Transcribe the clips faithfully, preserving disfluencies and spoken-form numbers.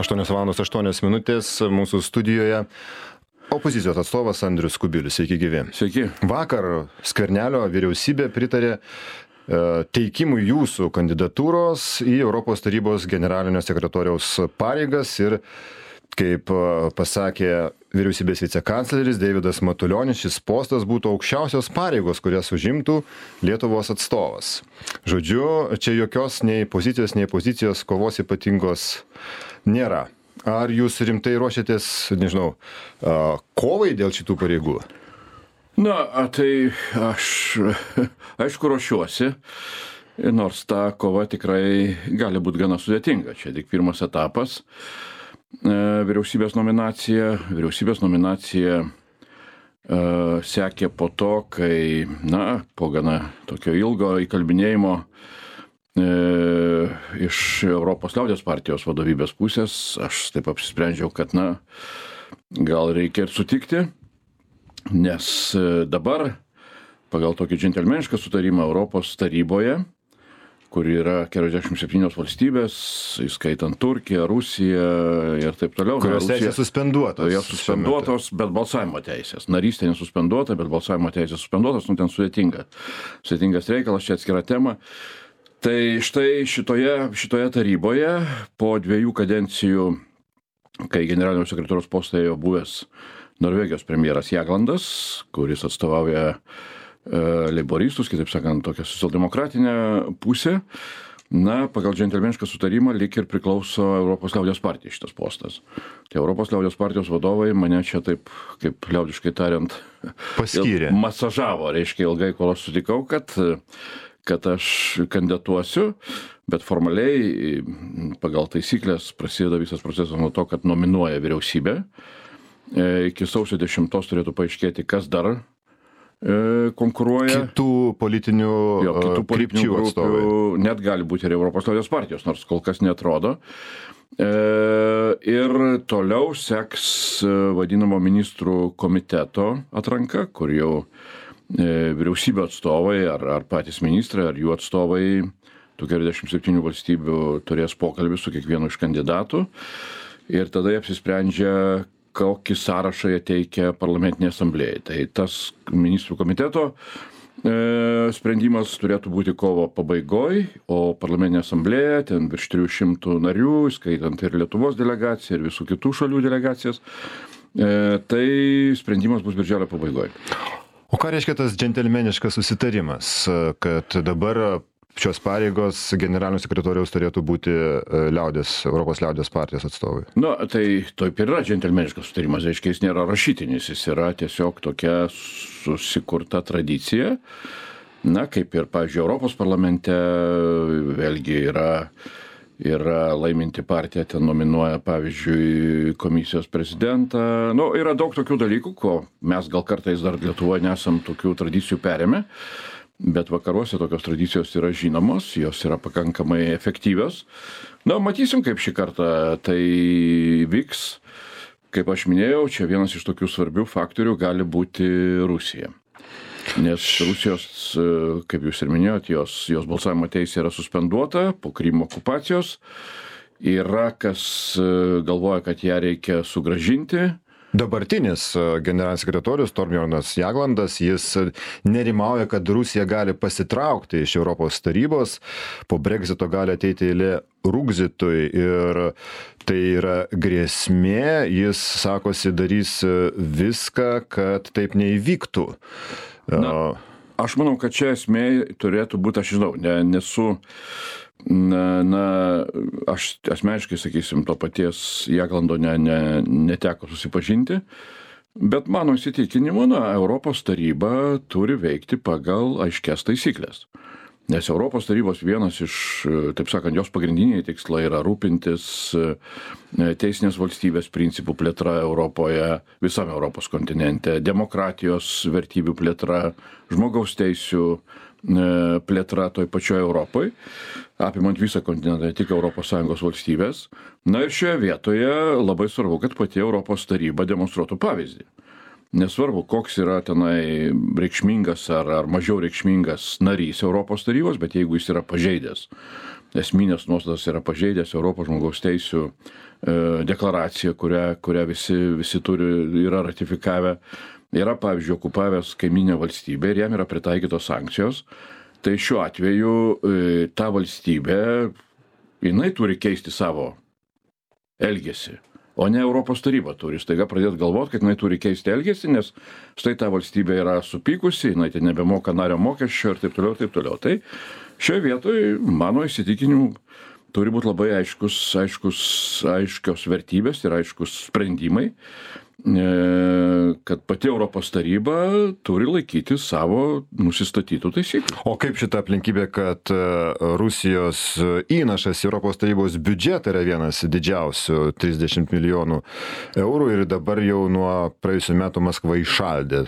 aštuonios valandos aštuonios minutės mūsų studijoje opozicijos atstovas Andrius Kubilius. Sveiki gyvi. Sveiki. Vakar Skvernelio vyriausybė pritarė teikimui jūsų kandidatūros į Europos tarybos generalinio sekretoriaus pareigas ir, kaip pasakė vyriausybės vicekancleris Deividas Matulionis, šis postas būtų aukščiausios pareigos, kurias užimtų Lietuvos atstovas. Žodžiu, čia jokios nei pozicijos, nei pozicijos kovos ypatingos nėra. Ar jūs rimtai ruošiatės, nežinau, kovai dėl šitų pareigų? Na, tai aš, aišku, ruošiuosi, nors ta kova tikrai gali būti gana sudėtinga. Čia tik pirmas etapas. Vyriausybės nominacija, vyriausybės nominacija uh, sekė po to, kai, na, po gana tokio ilgo įkalbinėjimo uh, iš Europos liaudies partijos vadovybės pusės, aš taip apsisprendžiau, kad, na, gal reikia ir sutikti, nes dabar pagal tokį džentelmenišką sutarimą Europos taryboje, kur yra keturiasdešimt septynios valstybės, įskaitant Turkiją, Rusiją ir taip toliau. Kurios teisės suspenduotos. Jos suspenduotos, bet balsavimo teisės. Narystė nesuspenduota, bet balsavimo teisės suspenduotos, nu ten sudėtinga. Sudėtingas reikalas, čia atskira tema. Tai štai šitoje, šitoje taryboje po dviejų kadencijų, kai generalinio sekretoriaus postą ėjo buvęs Norvegijos premjeras Jaglandas, kuris atstovauja leiboristus, kitaip sakant, tokią socialdemokratinę pusę, na, pagal džentelmenišką sutarimą lyg ir priklauso Europos liaudies partijai šitas postas. Tai Europos liaudies partijos vadovai mane čia taip, kaip liaudiškai tariant, paskyrė. Masažavo, reiškia ilgai, kol aš sutikau, kad, kad aš kandidatuosiu, bet formaliai pagal taisyklės prasideda visas procesas nuo to, kad nominuoja vyriausybę. Iki sausio dešimtos turėtų paaiškėti, kas dar konkuruoja. Kitų politinių, jo, kitų politinių grupių atstovai. Net gali būti ir Europos liaudies partijos, nors kol kas neatrodo. E, ir toliau seks vadinamo ministrų komiteto atranka, kur jau e, vyriausybė atstovai ar, ar patys ministrai, ar jų atstovai tų keturiasdešimt septynių valstybių turės pokalbį su kiekvienu iš kandidatų. Ir tada jie apsisprendžia, kokį sąrašą jie teikia parlamentinė asamblėjai. Tai tas ministrų komiteto e, sprendimas turėtų būti kovo pabaigoj, o parlamentinė asamblėja, ten virš trijų šimtų narių, skaitant ir Lietuvos delegaciją, ir visų kitų šalių delegacijas, e, tai sprendimas bus birželio pabaigoj. O ką reiškia tas džentelmeniškas susitarimas, kad dabar šios pareigos generalinio sekretoriaus turėtų būti liaudės, Europos liaudės partijos atstovai? Na, tai taip ir yra džentelmeniškas sutarimas, reiškia, jis nėra rašytinis, jis yra tiesiog tokia susikurta tradicija. Na, kaip ir, pavyzdžiui, Europos parlamente vėlgi yra, yra laiminti partija, ten nominuoja, pavyzdžiui, komisijos prezidentą. Nu, yra daug tokių dalykų, ko mes gal kartais dar Lietuvoje nesam tokių tradicijų perėmę. Bet vakaruose tokios tradicijos yra žinomos, jos yra pakankamai efektyvios. Na, matysim, kaip šį kartą tai vyks. Kaip aš minėjau, čia vienas iš tokių svarbių faktorių gali būti Rusija. Nes Rusijos, kaip jūs ir minėjot, jos, jos balsavimo teisė yra suspenduota po Krymo okupacijos. Yra kas galvoja, kad ją reikia sugrąžinti. Dabartinis generalinis sekretorius Torbjornas Jaglandas, jis nerimauja, kad Rusija gali pasitraukti iš Europos tarybos, po Brexito gali ateiti eilė Rugzitui ir tai yra grėsmė, jis sakosi darys viską, kad taip neįvyktų. Na, aš manau, kad čia esmė turėtų būti, aš žinau, ne, nesu... Na, na, aš asmeniškai, sakysim, to paties Jaglando ne, ne, neteko susipažinti, bet mano įsitikinimu, na, Europos taryba turi veikti pagal aiškias taisyklės. Nes Europos tarybos vienas iš, taip sakant, jos pagrindiniai tikslai yra rūpintis teisinės valstybės principų plėtra Europoje, visame Europos kontinente, demokratijos vertybių plėtra, žmogaus teisių plėtra toj pačioj Europoje, apimant visą kontinentą, ne tik Europos Sąjungos valstybės. Na ir šioje vietoje labai svarbu, kad pati Europos taryba demonstruotų pavyzdį. Nesvarbu, koks yra tenai reikšmingas ar, ar mažiau reikšmingas narys Europos tarybos, bet jeigu jis yra pažeidęs esminės nuostatas yra pažeidęs Europos žmogaus teisių deklaraciją, kurią, kurią visi, visi turi, yra ratifikavę, yra, pavyzdžiui, okupavęs kaiminę valstybę ir jam yra pritaikytos sankcijos, tai šiuo atveju ta valstybė, jinai turi keisti savo elgesį, o ne Europos taryba turi staiga pradėti galvoti, kad jinai turi keisti elgesį, nes štai ta valstybė yra supykusi, jinai ten nebemoka nario mokesčio ir taip toliau, taip toliau. Tai šioje vietoje, mano įsitikinimu, turi būti labai aiškus, aiškus, aiškios vertybės ir aiškus sprendimai, kad pati Europos taryba turi laikyti savo nusistatytų taisyklių. O kaip šita aplinkybė, kad Rusijos įnašas į Europos tarybos biudžetą yra vienas didžiausių, trisdešimt milijonų eurų, ir dabar jau nuo praėjusių metų Maskva įšaldė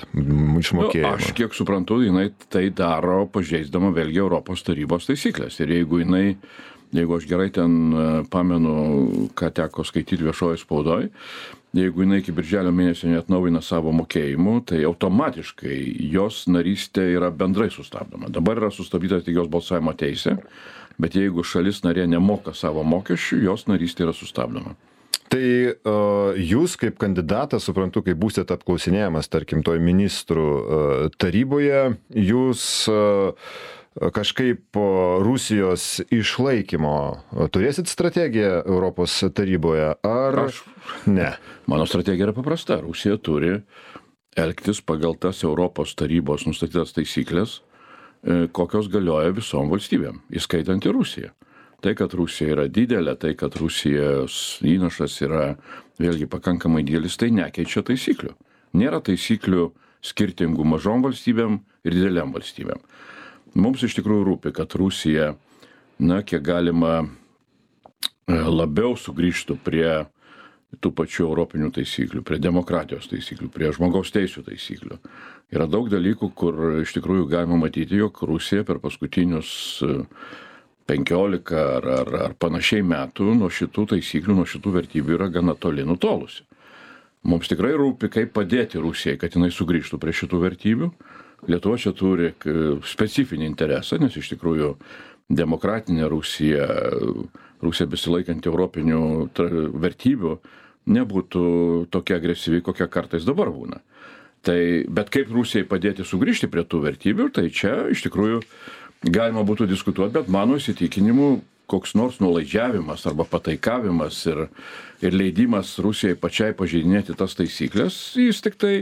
išmokėjimą? Nu, aš kiek suprantu, jinai tai daro pažeisdama vėlgi Europos tarybos taisyklės. Ir jeigu jinai Jeigu aš gerai ten pamenu, ką teko skaityti viešoje spaudoje, jeigu jinai iki birželio mėnesio neatnaujina savo mokėjimų, tai automatiškai jos narystė yra bendrai sustabdoma. Dabar yra sustabdyta tik jos balsavimo teisė, bet jeigu šalis narė nemoka savo mokesčių, jos narystė yra sustabdoma. Tai uh, jūs kaip kandidatas, suprantu, kai būsite apklausinėjamas, tarkim, toj ministrų uh, taryboje, jūs uh, kažkaip Rusijos išlaikymo turėsit strategiją Europos taryboje, ar Aš, ne? Mano strategija yra paprasta. Rusija turi elgtis pagal tas Europos tarybos nustatytas taisyklės, kokios galioja visom valstybėm, įskaitant ir Rusiją. Tai, kad Rusija yra didelė, tai, kad Rusijos įnašas yra vėlgi pakankamai didelis, tai nekeičia taisyklių. Nėra taisyklių skirtingų mažom valstybėm ir dideliam valstybėm. Mums iš tikrųjų rūpi, kad Rusija, na, kiek galima labiau sugrįžtų prie tų pačių europinių taisyklių, prie demokratijos taisyklių, prie žmogaus teisių taisyklių. Yra daug dalykų, kur iš tikrųjų galima matyti, jog Rusija per paskutinius penkiolika ar, ar, ar panašiai metų nuo šitų taisyklių, nuo šitų vertybių yra gana toli nutolusi. Mums tikrai rūpi, kaip padėti Rusijai, kad jinai sugrįžtų prie šitų vertybių. Lietuva čia turi specifinį interesą, nes iš tikrųjų demokratinė Rusija, Rusija besilaikanti europinių vertybių, nebūtų tokia agresyvi, kokia kartais dabar būna. Tai, bet kaip Rusijai padėti sugrįžti prie tų vertybių, tai čia iš tikrųjų galima būtų diskutuoti, bet mano įsitikinimu, koks nors nuolaidžiavimas arba pataikavimas ir, ir leidimas Rusijai pačiai pažeidinėti tas taisyklės, jis tik tai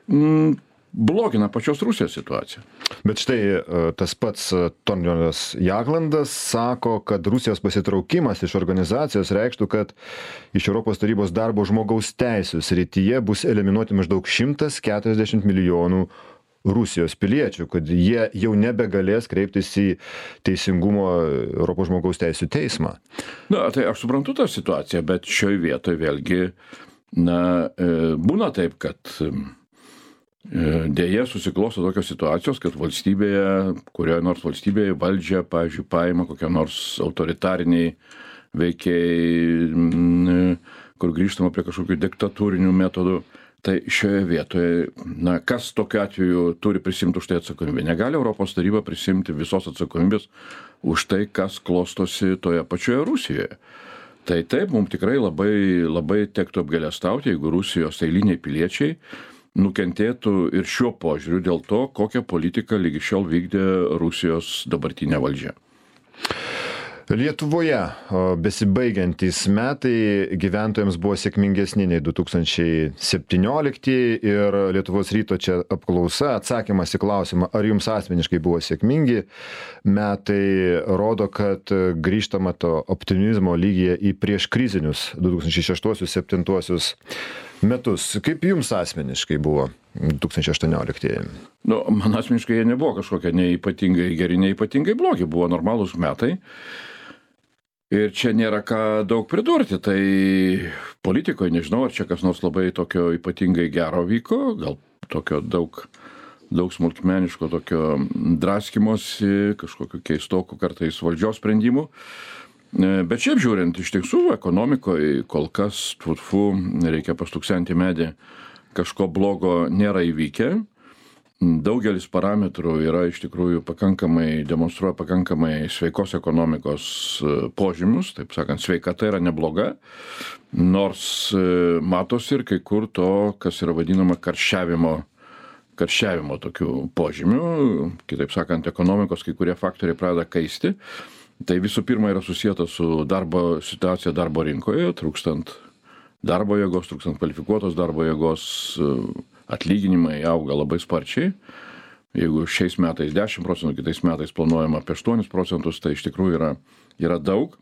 mm, blogina pačios Rusijos situaciją. Bet štai tas pats Torbjornas Jaglandas sako, kad Rusijos pasitraukimas iš organizacijos reikštų, kad iš Europos tarybos darbo žmogaus teisių srityje bus eliminuoti maždaug šimtas keturiasdešimt milijonų Rusijos piliečių, kad jie jau nebegalės kreiptis į teisingumo Europos žmogaus teisių teismą. Na, tai aš suprantu tą situaciją, bet šioje vietoje vėlgi, na, būna taip, kad dėja susiklosto tokios situacijos, kad valstybėje, kurioje nors valstybėje valdžia, pavyzdžiui, paima kokie nors autoritariniai veikiai, kur grįžtama prie kažkokių diktatūrinių metodų. Tai šioje vietoje, na, kas tokiu atveju turi prisimti už tai atsakomybę? Negali Europos taryba prisimti visos atsakomybės už tai, kas klostosi toje pačioje Rusijoje. Tai taip, mums tikrai labai, labai tektų apgailestauti, jeigu Rusijos eiliniai piliečiai nukentėtų ir šiuo požiūriu dėl to, kokią politiką lygi šiol vykdė Rusijos dabartinė valdžia. Lietuvoje besibaigiantys metai gyventojams buvo sėkmingesni nei du tūkstančiai septynioliktieji ir Lietuvos ryto čia apklausa, atsakymas į klausimą, ar jums asmeniškai buvo sėkmingi metai, rodo, kad grįžtama to optimizmo lygyje į prieškrizinius du tūkstančiai šeštuosius - septintuosius metus. Kaip jums asmeniškai buvo du tūkstančiai aštuonioliktieji? Nu, man asmeniškai jie nebuvo kažkokie neipatingai geri, neipatingai blogi, buvo normalūs metai. Ir čia nėra ką daug pridurti, tai politikoje nežinau, ar čia kas nors labai tokio ypatingai gero vyko, gal tokio daug, daug smulkmeniško tokio draskimosi, kažkokiu keistoku kartais valdžios sprendimų. Bet šiaip žiūrint, iš tiesų, ekonomikoje kol kas, tfu, reikia pastuksenti medį, kažko blogo nėra įvykę. daugelis parametrų yra iš tikrųjų pakankamai, demonstruoja pakankamai sveikos ekonomikos požymius, taip sakant, sveikata yra nebloga, nors matosi ir kai kur to, kas yra vadinama karščiavimo, karščiavimo tokių požymių, kitaip sakant, ekonomikos kai kurie faktoriai pradeda kaisti. Tai visų pirma yra susijęta su darbo situacija darbo rinkoje, trūkstant darbo jėgos, trūkstant kvalifikuotos darbo jėgos, atlyginimai auga labai sparčiai. Jeigu šiais metais dešimt procentų, kitais metais planuojama apie aštuonis procentus, tai iš tikrųjų yra, yra daug.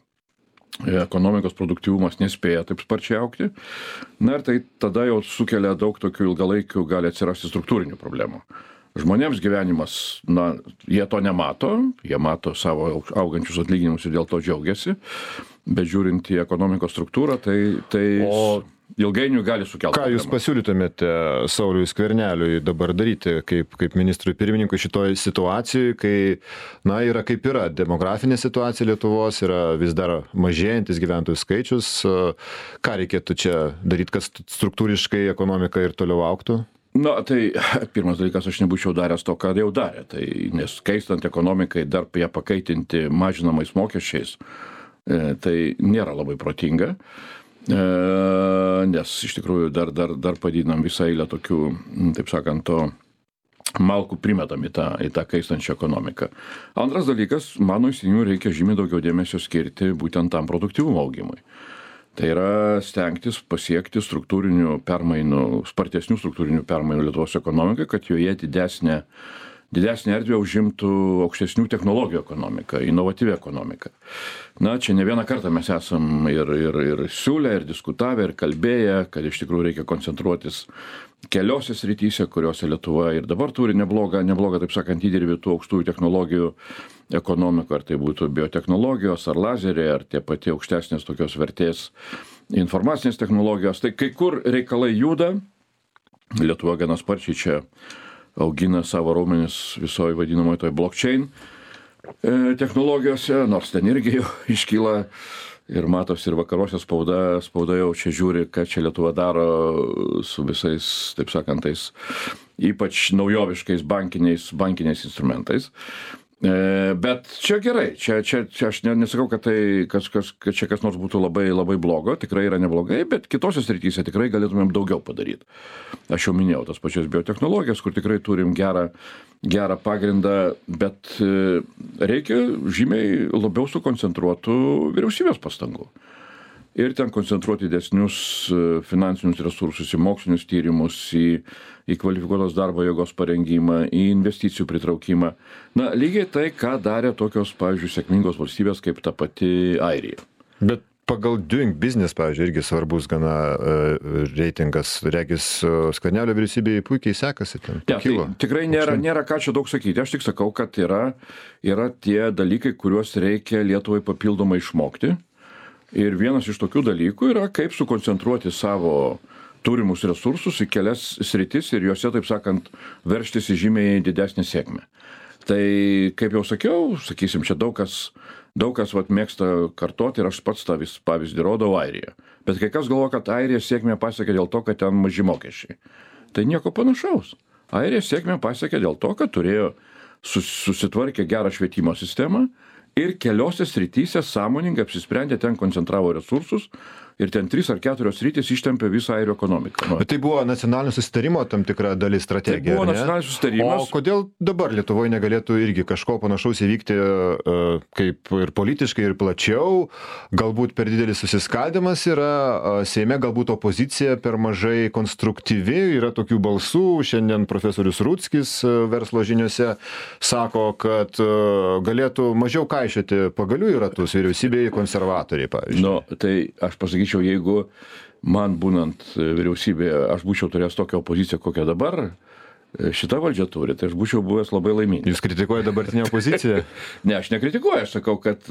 Ekonomikos produktyvumas nespėja taip sparčiai augti. Na ir tai tada jau sukelia daug tokių ilgalaikių, gali atsirasti struktūrinių problemų. Žmonėms gyvenimas, na, jie to nemato, jie mato savo augančius atlyginimus ir dėl to džiaugiasi, bet žiūrint į ekonomikos struktūrą, tai, tai o ilgainiui gali sukelti. Ką jūs pasiūlytumėte Sauliui Skverneliui dabar daryti kaip, kaip ministrui pirmininkui šitoje situacijoje, kai, na, yra kaip yra demografinė situacija Lietuvos, yra vis dar mažėjantis gyventojų skaičius. Ką reikėtų čia daryti, kad struktūriškai ekonomika ir toliau augtų? Na, tai pirmas dalykas, aš nebūčiau daręs to, ką jau darė. Tai nes keistant ekonomikai, dar ją pakaitinti mažinamais mokesčiais, tai nėra labai protinga. Nes iš tikrųjų dar, dar, dar padidinam visą eilę tokių, taip sakant, to malkų primetam į tą, į tą kaistančią ekonomiką. Antras dalykas, mano įsitikinimu, reikia žymiai daugiau dėmesio skirti būtent tam produktyvumo augimui. Tai yra stengtis pasiekti struktūrinių permainų, spartesnių struktūrinių permainų Lietuvos ekonomikai, kad joje didesnė, didesnė erdvė užimtų aukštesnių technologijų ekonomiką, inovatyvi ekonomika. Na, čia ne vieną kartą mes esam ir, ir, ir siūlę, ir diskutavę, ir kalbėję, kad iš tikrųjų reikia koncentruotis keliose srityse, kuriuose Lietuva ir dabar turi neblogą, neblogą, taip sakant, įdirbį tų aukštųjų technologijų ekonomikų, ar tai būtų biotechnologijos, ar lazeriai, ar tie pati aukštesnės tokios vertės informacinės technologijos. Tai kai kur reikalai juda, Lietuva gana sparčiai čia augina savo raumenis visoje vadinamoje toj blockchain technologijose, nors ten irgi jau iškyla ir matosi ir vakaruose spauda, spauda jau čia žiūri, ką čia Lietuva daro su visais, taip sakant, tais ypač naujoviškais bankiniais, bankiniais instrumentais. Bet čia gerai, čia, čia, čia aš nesakau, kad, tai, kas, kas, kad čia kas nors būtų labai, labai blogo, tikrai yra neblogai, bet kitose srityse tikrai galėtumėm daugiau padaryti. Aš jau minėjau tas pačias biotechnologijas, kur tikrai turim gerą, gerą pagrindą, bet reikia žymiai labiau sukoncentruotų vyriausybės pastangų. Ir ten koncentruoti didesnius finansinius resursus į mokslinius tyrimus, į, į kvalifikuotos darbo jėgos parengimą, į investicijų pritraukimą. Na, lygiai tai, ką darė tokios, pavyzdžiui, sėkmingos valstybės kaip ta pati Airija. Bet pagal Doing Business, pavyzdžiui, irgi svarbus gana uh, reitingas, regis uh, Skvernelio vyriausybėje puikiai sekasi ten. Ja, tai tikrai nėra, nėra ką čia daug sakyti. Aš tik sakau, kad yra, yra tie dalykai, kuriuos reikia Lietuvai papildomai išmokti. Ir vienas iš tokių dalykų yra, kaip sukoncentruoti savo turimus resursus į kelias sritis ir juose, taip sakant, veržtis į žymiai didesnį sėkmę. Tai, kaip jau sakiau, sakysim, čia daug kas, daug kas vat, mėgsta kartoti ir aš pats tą vis pavyzdį rodau Airiją. Bet kai kas galvo, kad Airija sėkmę pasiekė dėl to, kad ten maži mokesčiai. Tai nieko panašaus. Airija sėkmę pasiekė dėl to, kad turėjo sus, susitvarkę gerą švietimo sistemą, ir keliose srityse sąmoningai apsisprendė, ten koncentravo resursus ir ten trys ar keturios sritys ištempė visą airių ekonomiką. Bet tai buvo nacionalinio susitarimo tam tikra dalis strategija. Tai buvo nacionalinis susitarimas. O kodėl dabar Lietuvoje negalėtų irgi kažko panašaus įvykti kaip ir politiškai, ir plačiau? Galbūt per didelis susiskaldimas yra, Seime galbūt opozicija per mažai konstruktyvi, yra tokių balsų. Šiandien profesorius Rutskis verslo žiniose sako, kad galėtų mažiau kaišioti pagalių į ratus vyriausybėje konservatoriai, pavyzdžiui. Nu, tai aš pasakyčiau, jeigu man būnant vyriausybėje, aš būčiau turėjęs tokią opoziciją, kokią dabar šita valdžia turi, tai aš būčiau buvęs labai laimingas. Jūs kritikuojate dabartinę opoziciją? Ne, aš nekritikuoju, aš sakau, kad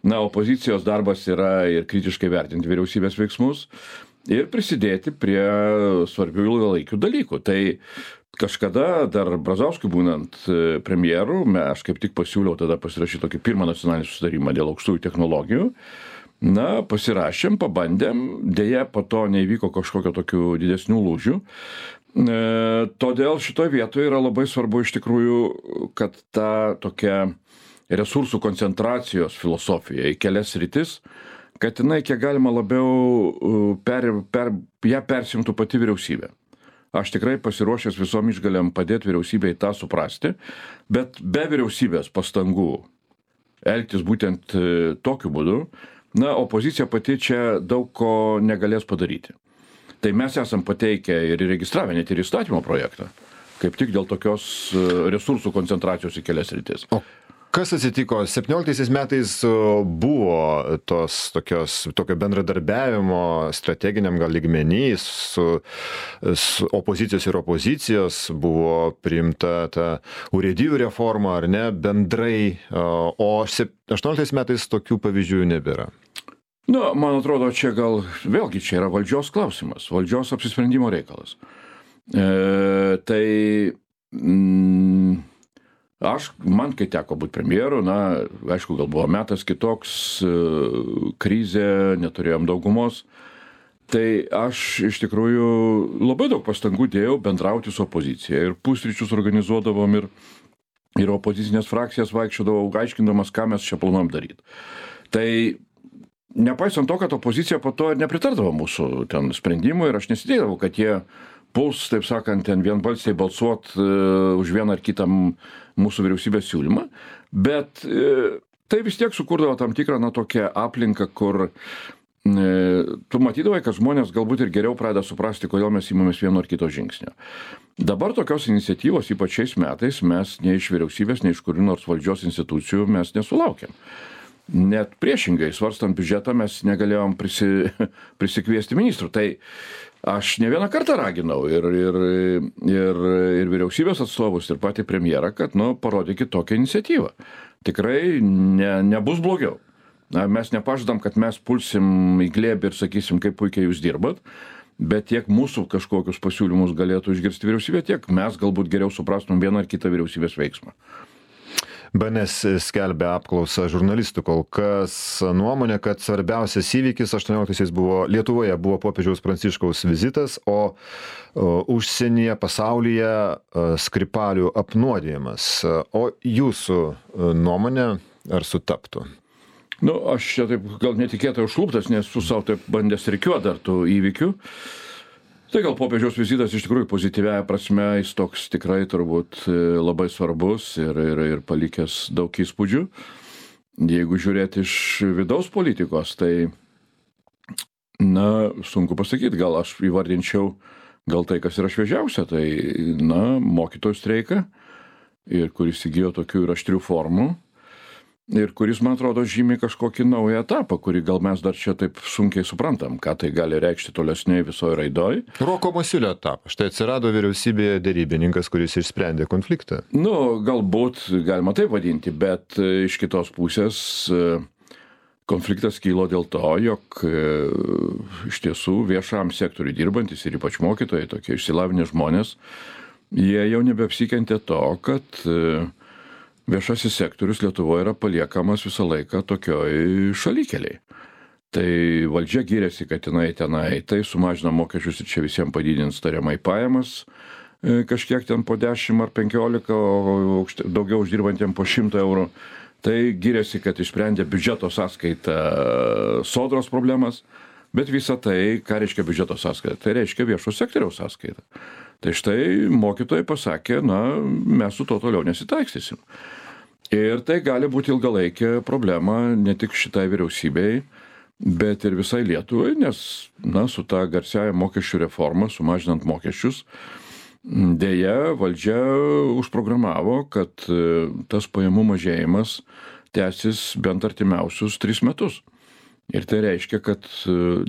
na, opozicijos darbas yra ir kritiškai vertinti vyriausybės veiksmus ir prisidėti prie svarbių ilgalaikių dalykų. Tai kažkada dar Brazauskui būnant premjeru, aš kaip tik pasiūliau tada pasirašyti tokį pirmą nacionalinį susitarimą dėl aukštųjų technologijų. Na, pasirašėm, pabandėm, dėja po to neįvyko kažkokio tokių didesnių lūžių. E, todėl šitoje vietoje yra labai svarbu iš tikrųjų, kad ta tokia resursų koncentracijos filosofija į kelias sritis, kad jinai kiek galima labiau per, per, ją persimtų pati vyriausybė. Aš tikrai pasiruošęs visom išgalėm padėti vyriausybei tą suprasti, bet be vyriausybės pastangų elgtis būtent tokiu būdu, na, opozicija pati čia daug ko negalės padaryti. Tai mes esam pateikę ir įregistravę net ir įstatymo projektą, kaip tik dėl tokios resursų koncentracijos į kelias sritis. O kas atsitiko? septynioliktaisiais metais buvo tos tokios, tokio bendradarbiavimo strateginiam gal lygmenį su, su opozicijos ir opozicijos, buvo priimta ta urėdijų reforma, ar ne, bendrai, o aštuonioliktais metais tokių pavyzdžių nebėra. Nu, man atrodo, čia gal vėlgi čia yra valdžios klausimas, valdžios apsisprendimo reikalas. E, tai... Mm, Aš, man kai teko būti premjeru, na, aišku, gal buvo metas kitoks, krizė, neturėjom daugumos, tai aš iš tikrųjų labai daug pastangų dėjau bendrauti su opozicija ir pusryčius organizuodavom ir, ir opozicinės frakcijas vaikščiodavau, aiškindamas, ką mes čia planuojam daryti. Tai nepaisant to, kad opozicija po to ir nepritardavo mūsų ten sprendimui ir aš nesidėdavau, kad jie puls, taip sakant, ten vienbalsiai balsuot uh, už vieną ar kitą mūsų vyriausybės siūlymą, bet uh, tai vis tiek sukurdavo tam tikrą, na, tokią aplinką, kur uh, tu matydavai, kad žmonės galbūt ir geriau pradeda suprasti, kodėl mes įmamės vieno ar kito žingsnio. Dabar tokios iniciatyvos, ypač šiais metais, mes nei iš vyriausybės, nei iš kurių nors valdžios institucijų mes nesulaukėm. Net priešingai, svarstant biudžetą, mes negalėjom prisi, prisikviesti ministrų. Tai aš ne vieną kartą raginau ir, ir, ir, ir vyriausybės atstovus, ir patį premjerą, kad, nu, parodykit tokią iniciatyvą. Tikrai ne, nebus blogiau. Na, mes nepažadam, kad mes pulsim į glėbį ir sakysim, kaip puikiai jūs dirbat, bet tiek mūsų kažkokius pasiūlymus galėtų išgirsti vyriausybė, tiek mes galbūt geriau suprastum vieną ar kitą vyriausybės veiksmą. B N S skelbia apklausą žurnalistų kol kas nuomonė, kad svarbiausias įvykis aštuonioliktaisiais buvo Lietuvoje buvo popiežiaus Pranciškaus vizitas, o, o užsienyje, pasaulyje Skripalių apnuodijimas. O jūsų nuomonė ar sutaptų? Nu, aš čia taip gal netikėtai užkluptas, nes su savo taip bandęs rikiuoti dar tų įvykių. Tai gal popiežiaus vizitas iš tikrųjų pozityviaja prasme, jis toks tikrai turbūt labai svarbus ir, ir, ir palikęs daug įspūdžių. Jeigu žiūrėti iš vidaus politikos, tai, na, sunku pasakyti, gal aš įvardinčiau gal tai, kas yra šviežiausia, tai, na, mokytojų streiką, ir kuris įgijo tokių ir aštrių formų. Ir kuris, man atrodo, žymi kažkokį naują etapą, kurį gal mes dar čia taip sunkiai suprantam, ką tai gali reikšti tolesniai visoje raidoj. Roko Masiulio etapas. Štai atsirado vyriausybėje derybininkas, kuris išsprendė konfliktą. Nu, galbūt galima taip vadinti, bet iš kitos pusės konfliktas kylo dėl to, jog iš tiesų viešam sektoriui dirbantis ir ypač mokytojai, tokie išsilavinę žmonės, jie jau nebeapsikentė to, kad viešasis sektorius Lietuvoje yra paliekamas visą laiką tokioj šalikeliai. Tai valdžia gyrėsi, kad jinai tenai tai sumažina mokesčius ir čia visiems padidins tariamai pajamas, kažkiek ten po dešimt ar penkiolika, o daugiau uždirbantiem po šimtą eurų. Tai gyrėsi, kad išsprendė biudžeto sąskaitą sodros problemas, bet visa tai, ką reiškia biudžeto sąskaita, tai reiškia viešo sektoriaus sąskaita. Tai štai mokytojai pasakė, na, mes su to toliau nesitaikstysim. Ir tai gali būti ilgalaikė problema ne tik šitai vyriausybei, bet ir visai Lietuvai, nes, na, su ta garsiaja mokesčių reforma, sumažinant mokesčius, dėja valdžia užprogramavo, kad tas pajamų mažėjimas tęsis bent artimiausius tris metus. Ir tai reiškia, kad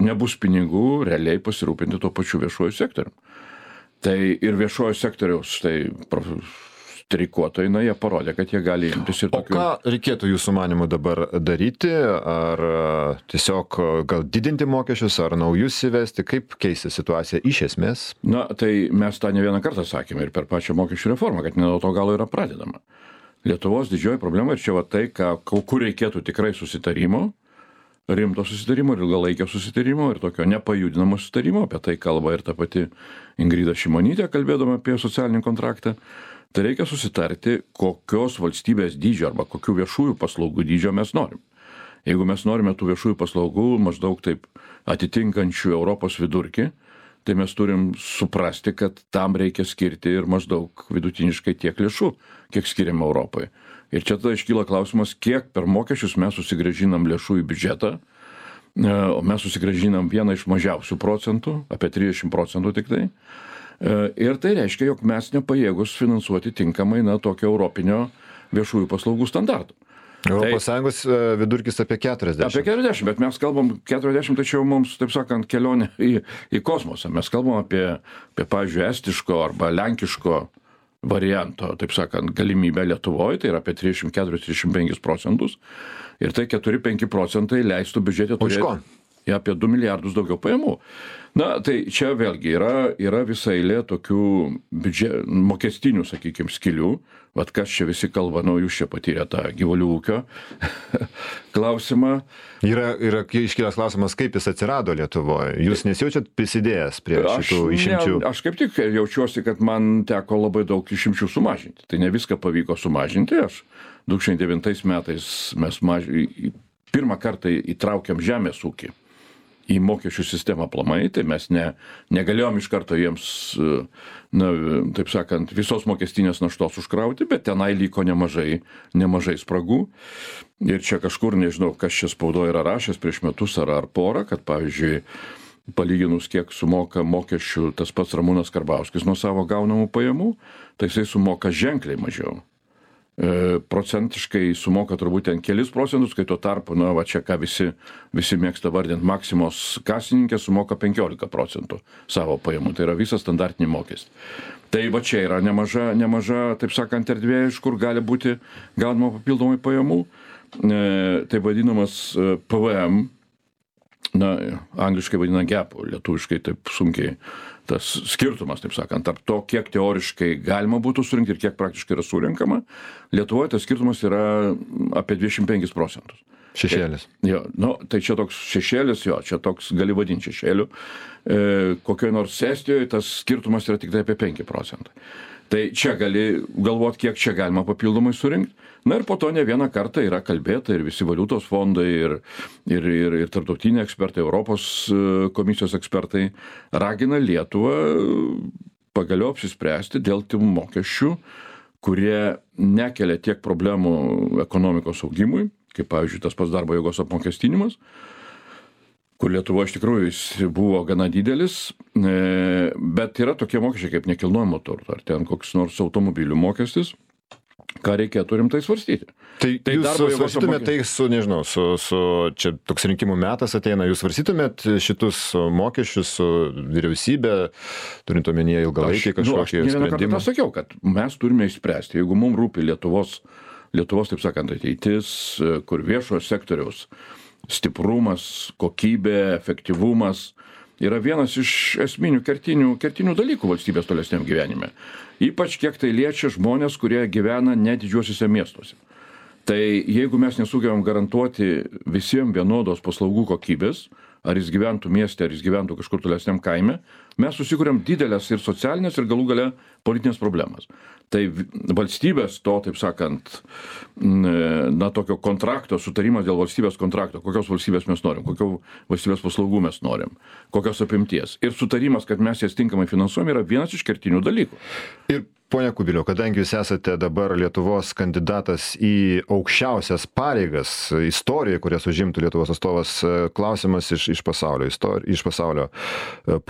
nebus pinigų realiai pasirūpinti tuo pačiu viešuoju sektoriumi. Tai ir viešojo sektoriaus, štai streikuotojai, na, jie parodė, kad jie gali imtis ir tokių. O ką reikėtų jūsų manimu dabar daryti? Ar tiesiog gal didinti mokesčius, ar naujus įvesti? Kaip keisti situaciją iš esmės? Na, tai mes tą ne vieną kartą sakėme ir per pačią mokesčių reformą, kad ne nuo to galo yra pradedama. Lietuvos didžioji problema ir čia va tai, ką, kur reikėtų tikrai susitarimo, rimto susitarimo ir ilgalaikio susitarimo ir tokio nepajudinamo susitarimo, apie tai kalba ir ta pati Ingrida Šimonytė, kalbėdama apie socialinį kontraktą. Tai reikia susitarti, kokios valstybės dydžio arba kokių viešųjų paslaugų dydžio mes norim. Jeigu mes norime tų viešųjų paslaugų maždaug taip atitinkančių Europos vidurkį, tai mes turim suprasti, kad tam reikia skirti ir maždaug vidutiniškai tiek lėšų, kiek skiriame Europoje. Ir čia tada iškyla klausimas, kiek per mokesčius mes susigrąžinam lėšų į biudžetą, o mes susigrąžinam vieną iš mažiausių procentų, apie trisdešimt procentų tik tai. Ir tai reiškia, jog mes nepajėgus finansuoti tinkamai na, tokio europinio viešųjų paslaugų standartų. Europos Sąjungos vidurkis apie keturiasdešimt. Apie keturiasdešimt, bet mes kalbam keturiasdešimt, tačiau mums, taip sakant, kelionė į, į kosmosą. Mes kalbam apie, apie, pavyzdžiui, estiško arba lenkiško varianto, taip sakant, galimybę Lietuvoje, tai yra apie trisdešimt keturi trisdešimt penkis procentus. Ir tai keturi penki procentai leistų biudžete turėti apie du milijardus daugiau pajamų. Na, tai čia vėlgi yra, yra visa eilė tokių biudžet, mokestinių, sakykime, skilių. Vat kas čia visi kalba, nu, jūs čia patyrė tą gyvulių ūkio klausimą. Yra, yra iškilęs klausimas, kaip jis atsirado Lietuvoje. Jūs nesijaučiat prisidėjęs prie šitų aš, išimčių? Ne, aš kaip tik jaučiuosi, kad man teko labai daug išimčių sumažinti. Tai ne viską pavyko sumažinti. Aš du tūkstančiai devintais metais mes maž... pirmą kartą įtraukiam žemės ūkį į mokesčių sistemą aplamai, tai mes ne, negalėjom iš karto jiems, na, taip sakant, visos mokestinės naštos užkrauti, bet tenai liko nemažai, nemažai spragų. Ir čia kažkur, nežinau, kas čia spaudoje yra rašęs prieš metus ar, ar porą, kad, pavyzdžiui, palyginus, kiek sumoka mokesčių tas pats Ramūnas Karbauskis nuo savo gaunamų pajamų, tai jisai sumoka ženkliai mažiau. E, procentiškai sumoka turbūt ten kelis procentus, kai tuo tarpu, na, va čia ką visi, visi mėgsta vardinti, Maksimos kasininkė sumoka penkiolika procentų savo pajamų, tai yra visas standartinį mokestį. Tai va čia yra nemaža, nemaža, taip sakant, erdvė, iš kur gali būti gaunama papildomai pajamų. E, tai vadinamas P V M, na, angliškai vadina gapų, lietuviškai taip sunkiai tas skirtumas, taip sakant, tarp to, kiek teoriškai galima būtų surinkti ir kiek praktiškai yra surinkama. Lietuvoje tas skirtumas yra apie dvidešimt penkis procentus. Šešėlis. Tai, jo, nu, tai čia toks šešėlis, jo, čia toks gali vadinti šešėliu. E, kokioje nors Estijoje tas skirtumas yra tik tai apie penki procentai. Tai čia gali galvoti, kiek čia galima papildomai surinkti. Na ir po to ne vieną kartą yra kalbėta ir visi valiutos fondai, ir, ir, ir, ir tarptautiniai ekspertai, Europos komisijos ekspertai ragina Lietuvą pagaliau apsispręsti dėl tų mokesčių, kurie nekelia tiek problemų ekonomikos augimui, kaip pavyzdžiui tas pats darbo jėgos apmokestinimas, kur Lietuvoje iš tikrųjų jis buvo gana didelis, bet yra tokie mokesčiai kaip nekilnojamo turto, ar ten koks nors automobilių mokestis, ką reikėtų rimtai svarstyti. Tai, tai jūs svarstytumėt apmokė... tai su, nežinau, su, su, čia toks rinkimų metas ateina, jūs svarstytumėt šitus mokesčius su vyriausybė, turint omenyje ilgalaikį kažkokį nu, sprendimą? Aš sakiau, kad mes turime išspręsti, jeigu mums rūpi Lietuvos, Lietuvos, taip sakant, ateitis, kur viešojo sektoriaus stiprumas, kokybė, efektyvumas yra vienas iš esminių kertinių, kertinių dalykų valstybės tolesniam gyvenime. Ypač kiek tai liečia žmonės, kurie gyvena ne didžiuosiuose miestuose. Tai jeigu mes nesugebam garantuoti visiems vienodos paslaugų kokybės, ar jis gyventų mieste, ar jis gyventų kažkur tolesniam kaime, mes susikuriam didelės ir socialinės, ir galų gale politinės problemas. Tai valstybės to, taip sakant, na, tokio kontrakto, sutarimas dėl valstybės kontrakto, kokios valstybės mes norim, kokio valstybės paslaugų mes norim, kokios apimties. Ir sutarimas, kad mes jas tinkamai finansuojame, yra vienas iš kertinių dalykų. Ir ponia Kubiliau, kadangi jūs esate dabar Lietuvos kandidatas į aukščiausias pareigas istorijoje, kurias užimtų Lietuvos atstovas, klausimas iš, iš pasaulio, istori, iš pasaulio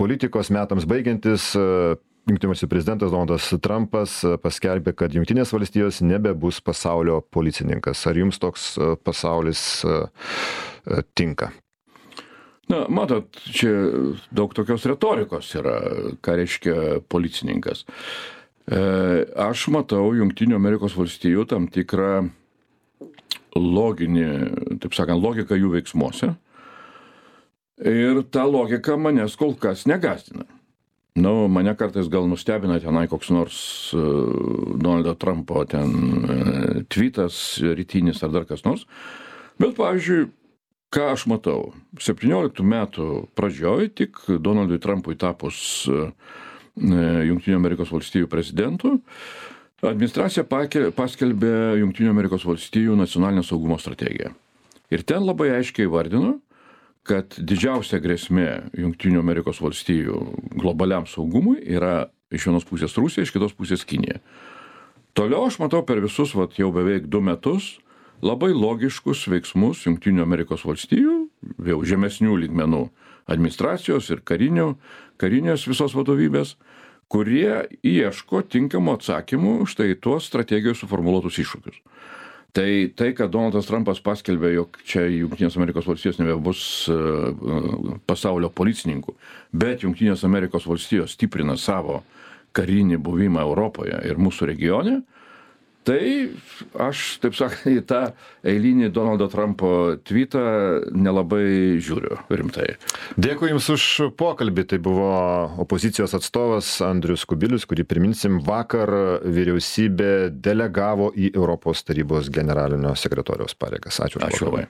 politikos metams baigiantis, Jungtinių valstijų prezidentas Donaldas Trumpas paskelbė, kad Jungtinės valstijos nebebus pasaulio policininkas. Ar jums toks pasaulis tinka? Na, matot, čia daug tokios retorikos yra, ką reiškia policininkas. Aš matau Jungtinių Amerikos valstijų tam tikrą loginį, taip sakant, logiką jų veiksmuose. Ir ta logika manęs kol kas negąsdina. Nu, mane kartais gal nustebina tenai koks nors uh, Donaldo Trumpo ten uh, tweetas rytinis ar dar kas nors. Bet, pavyzdžiui, ką aš matau? septynioliktų metų pradžioj, tik Donaldui Trumpui tapus Jungtinių Amerikos valstijų prezidentu, administracija paskelbė Jungtinių Amerikos valstijų nacionalinę saugumo strategiją. Ir ten labai aiškiai vardino, kad didžiausia grėsmė Jungtinių Amerikos valstijų globaliam saugumui yra iš vienos pusės Rusija, iš kitos pusės Kinija. Toliau aš matau per visus vat, jau beveik du metus labai logiškus veiksmus Jungtinių Amerikos valstijų, jau žemesnių lygmenų administracijos ir karinių, karinės visos vadovybės, kurie ieško tinkamų atsakymų štai tuos strategijos suformuluotus iššūkius. Tai, tai, kad Donaldas Trumpas paskelbė, jog čia Jungtinės Amerikos valstijos nebebus pasaulio policininkų, bet Jungtinės Amerikos valstijos stiprina savo karinį buvimą Europoje ir mūsų regione, tai aš, taip sakant, į tą eilinį Donaldo Trumpo tweetą nelabai žiūriu rimtai. Dėkui Jums už pokalbį. Tai buvo opozicijos atstovas Andrius Kubilius, kurį priminsim, vakar vyriausybė delegavo į Europos tarybos generalinio sekretoriaus pareigas. Ačiū už pokalbį.